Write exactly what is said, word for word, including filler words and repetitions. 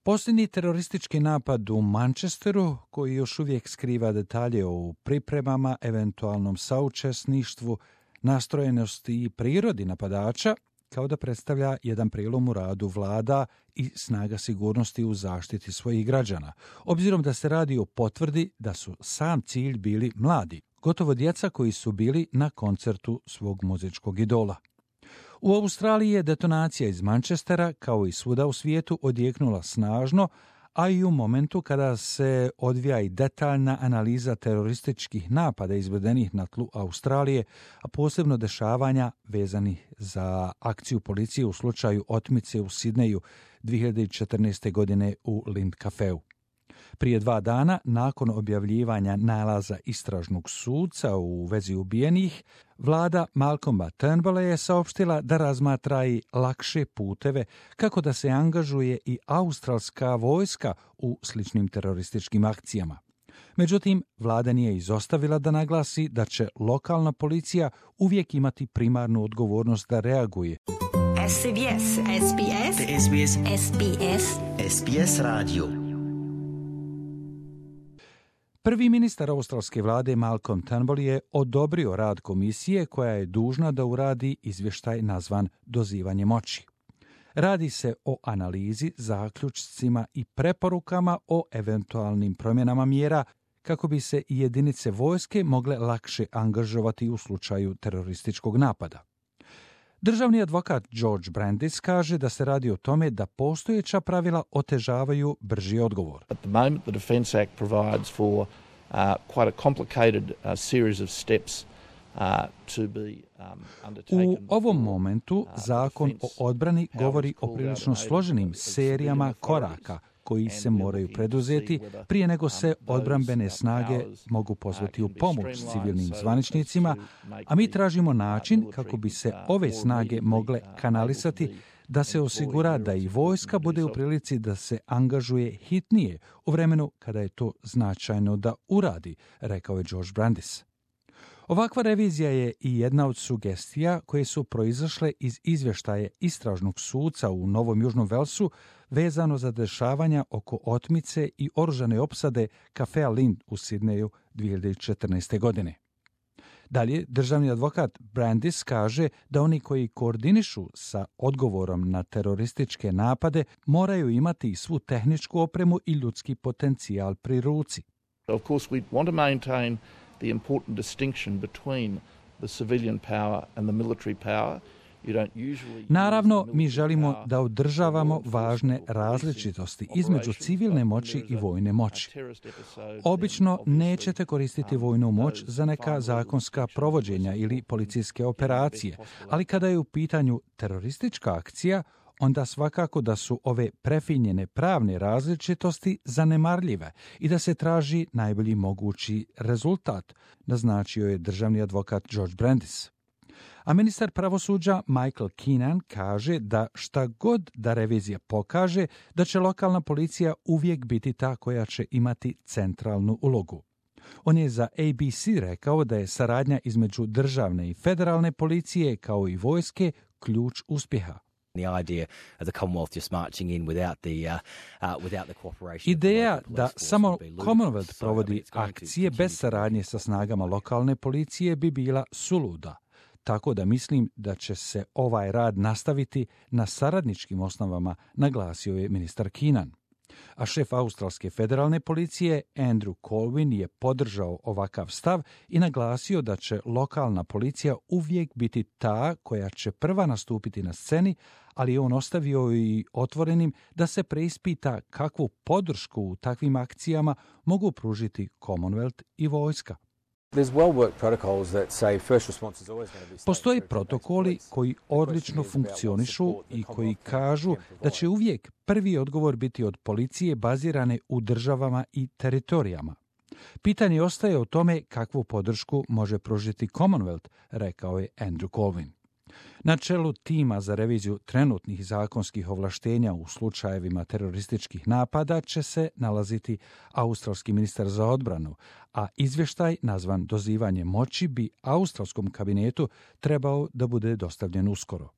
Posljednji teroristički napad u Manchesteru, koji još uvijek skriva detalje o pripremama, eventualnom saučesništvu, nastrojenosti i prirodi napadača, kao da predstavlja jedan prilom u radu vlada i snaga sigurnosti u zaštiti svojih građana, obzirom da se radi o potvrdi da su sam cilj bili mladi, gotovo djeca koji su bili na koncertu svog muzičkog idola. U Australiji je detonacija iz Manchestera, kao i svuda u svijetu, odjeknula snažno, a i u momentu kada se odvija i detaljna analiza terorističkih napada izvedenih na tlu Australije, a posebno dešavanja vezanih za akciju policije u slučaju otmice u Sidneju dvije hiljade četrnaeste. godine u Lind Cafeu. Prije dva dana, nakon objavljivanja nalaza istražnog suca u vezi ubijenih, vlada Malcolma Turnbulla je saopštila da razmatra i lakše puteve kako da se angažuje i australska vojska u sličnim terorističkim akcijama. Međutim, vlada nije izostavila da naglasi da će lokalna policija uvijek imati primarnu odgovornost da reaguje. S B S, S B S, S B S, S B S, S B S radio. Prvi ministar australske vlade Malcolm Turnbull je odobrio rad komisije koja je dužna da uradi izvještaj nazvan dozivanje moći. Radi se o analizi, zaključcima i preporukama o eventualnim promjenama mjera kako bi se i jedinice vojske mogle lakše angažovati u slučaju terorističkog napada. Državni advokat George Brandis kaže da se radi o tome da postojeća pravila otežavaju brži odgovor. At the moment the Defence Act provides for uh, quite a complicated uh, series of steps uh, to be um, undertaken. U ovom momentu zakon o odbrani govori o prilično složenim serijama koraka koji se moraju preduzeti prije nego se odbrambene snage mogu pozvati u pomoć civilnim zvaničnicima, a mi tražimo način kako bi se ove snage mogle kanalisati da se osigura da i vojska bude u prilici da se angažuje hitnije u vremenu kada je to značajno da uradi, rekao je George Brandis. Ovakva revizija je i jedna od sugestija koje su proizašle iz izvještaje istražnog suca u Novom Južnom Velsu vezano za dešavanja oko otmice i oružane opsade kafea Lind u Sidneju dvije hiljade četrnaeste. godine. Dalje, državni advokat Brandis kaže da oni koji koordinišu sa odgovorom na terorističke napade moraju imati i svu tehničku opremu i ljudski potencijal pri ruci. Of course we want to maintain the important distinction between the civilian power and the military power. Naravno, mi želimo da održavamo važne različitosti između civilne moći i vojne moći. Obično nećete koristiti vojnu moć za neka zakonska provođenja ili policijske operacije, ali kada je u pitanju teroristička akcija, onda svakako da su ove prefinjene pravne različitosti zanemarljive i da se traži najbolji mogući rezultat, naznačio je državni advokat George Brandis. A ministar pravosuđa Michael Keenan kaže da šta god da revizija pokaže, da će lokalna policija uvijek biti ta koja će imati centralnu ulogu. On je za A B C rekao da je saradnja između državne i federalne policije kao i vojske ključ uspjeha. Ideja da samo Commonwealth provodi akcije bez saradnje sa snagama lokalne policije bi bila suluda. Tako da mislim da će se ovaj rad nastaviti na saradničkim osnovama, naglasio je ministar Keenan. A šef australske federalne policije Andrew Colwyn je podržao ovakav stav i naglasio da će lokalna policija uvijek biti ta koja će prva nastupiti na sceni, ali je on ostavio i otvorenim da se preispita kakvu podršku u takvim akcijama mogu pružiti Commonwealth i vojska. Postoje protokoli koji odlično funkcionišu i koji kažu da će uvijek prvi odgovor biti od policije bazirane u državama i teritorijama. Pitanje ostaje o tome kakvu podršku može pružiti Commonwealth, rekao je Andrew Colwyn. Na čelu tima za reviziju trenutnih zakonskih ovlaštenja u slučajevima terorističkih napada će se nalaziti australski ministar za odbranu, a izvještaj nazvan dozivanje moći bi australskom kabinetu trebao da bude dostavljen uskoro.